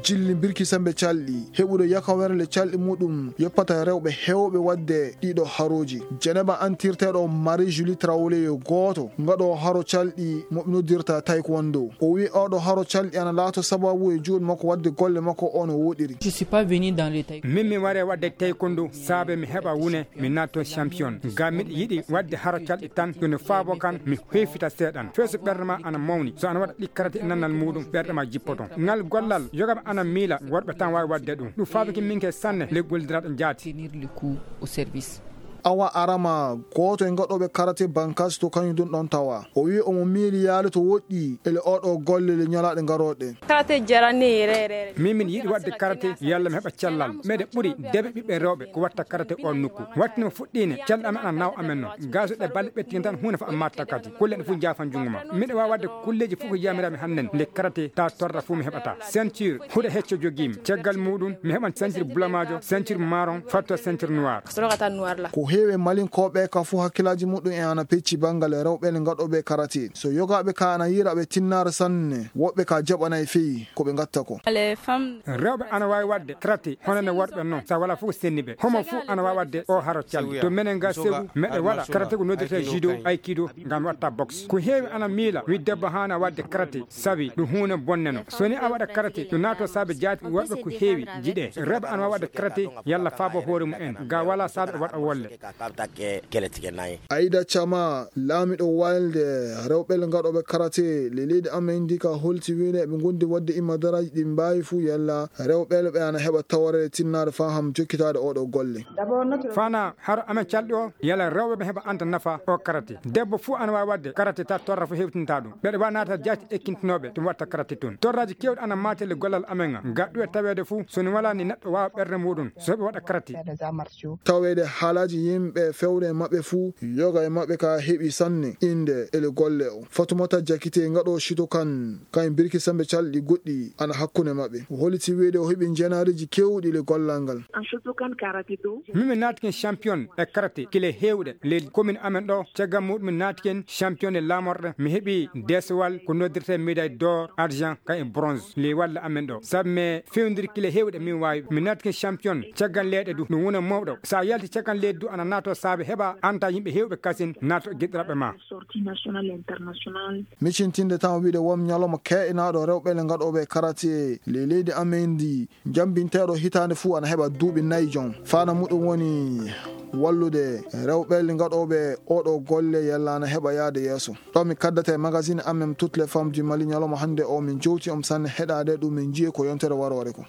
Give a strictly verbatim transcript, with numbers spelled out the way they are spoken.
Jilli mbirki sembe calɗi heɓude yakawerle calɗi muɗum yoppata rewɓe heewɓe waɗde ɗiɗo harooji. Jeneba antirteeɗo Marie Julie Traoré yo gooto ngaɗo haro calɗi mo ɓe noddirta taekwondo. O wi oɗo haro calɗi ana laato sababu e juuɗe makko waɗde golle makko o no woɗiri. Je suis pas venu dans le taekwondo. Min mi ware waɗde taekwondo saabe mi heɓa wune mi naatto champion. Ngam miɗo yiɗi waɗde haro calɗi tan yo no faabo kan mi hoyfita seeɗan. Feesu ɓernde ma ana mawni. So ana waɗa ɗi karate e nannal muɗum ɓerɗe ma jippoto. Ngal gollal yogaɓe ana miila worɓe tan waawi waɗde ɗum. Ɗum faabiki min ke sanne le gollidiraaɗo jaati. Tenir le coup au service. Awa Arama, gooto e ngaɗooɓe karate Bankas to kañum ɗum ɗon tawa. O wi omo miili yaade to woɗɗi ele oɗo golle le ñalaaɗe ngarooɗe. Karate jarani rerere. Min min yiɗi waɗde karate yalla mi heɓa cellal. Meɗe ɓuri debe ɓiɓɓe rewɓe ko watta karate on nokku. Wattinima fuɗɗiine calɗi amen ana naw amen noon. Gaso ɗe balle ɓettike tan huunde fo a matta kadi. Kulle ɗe fof jaafan junngo ma. Miɗo waawi waɗde kulleeji fof ko yamiraami hannden nde karate ta torra fof mi heɓata. Ceinture huɗo hecco jogiimi. Caggal muɗum mi heɓan ceinture bulamaajo, ceinture maron, fatto ceinture noir. Ko heewi e malinkooɓe ka fof hakkillaaji muɗum e ana pecci banngal e rewɓe ne ngaɗooɓe karate. So yogaaɓe ka ana yiira ɓe tinnaare sanne, woɓɓe ka jaɓana e feyi ko ɓe ngatta ko. Rewɓe ana waawi waɗde karate hono no worɓe noon. Sa wala fof senni ɓe. Homo fof ana waawi waɗde o haro calde. To menen ga segu meɗe waɗa karate ko noddirte judo, aikido, ngam watta boxe. Ko heewi ana miila wi debbo haana waɗde karate sabi ɗum huunde bonneno. So ni a waɗa karate ɗum naato saabe jaati worɓe ko heewi jiɗe. Rewɓe ana waawi waɗde karate yalla faabo hoore mum en. Ga wala saabe waɗa wolle. Aida Chama, laamiɗo walde rewɓe ngaɗooɓe karate le leydi amen ndi ka holti wiide ɓe ngondi waɗde imadaraaji ɗi mbaawi fuu yalla rewɓe ɓe ana heɓa tawre tinnaare faham jokkitaade oɗo golle. Fana haro amen calɗi o yalla rewɓe ɓe heɓa anta nafa o karate. Debbo fuu ana waawi waɗde karate ta torra fo hewtinta ɗum. Ɓeɗe waawi naata jaati ekkintinooɓe ɗum watta karate toon. Torraji kewɗi ana maate le gollal amen ga. Ga ɗuwe taweede fuu so ni wala ni neɗɗo waawa ɓernde muɗum so heɓe waɗa karate. Taweede haalaaji yimɓe fewre maɓɓe fuu yoga e maɓɓe ka heɓi sanne innde ele golle o. Fatumata Jakite ngaɗo Shitokan kañ birki sembe calɗi goɗɗi ana hakkunde maɓɓe. O holiti wiide o heɓi njenaariji kewɗi le gollal ngal. Min mi naatiken champion e karate kile heewɗe le commune amen ɗo. Caggal muɗum mi naatiken champion e laamorɗe mi heɓi desowal ko noddirte médaille d'or, argent, kañ e bronze le walle amen ɗo sabu mi fewndiri kile heewɗe min waawi mi naatiken champion. Caggal leeɗe du no wona mawɗo sa yalti caggal leydi du ana naato saabe heɓa anta yimɓe heewɓe kasin naato giɗɗiraɓe ma. Micintinde tan o wiide won ñalawma keeɗinaaɗo rewɓe le ngaɗooɓe karate ley leydi amen ndi. Jambinteeɗo hitaande fuu ana heɓa duuɓi nayi jon. Fana muɗum woni wallude rewɓe le ngaɗooɓe oɗo golle yalla ana heɓa yaade yeeso. Ɗo mi kaddata e magazine amen toutes les femmes du Mali ñalawma hannde o min jowti om sanne heɗaade ɗum min njiye ko yontere warore ko.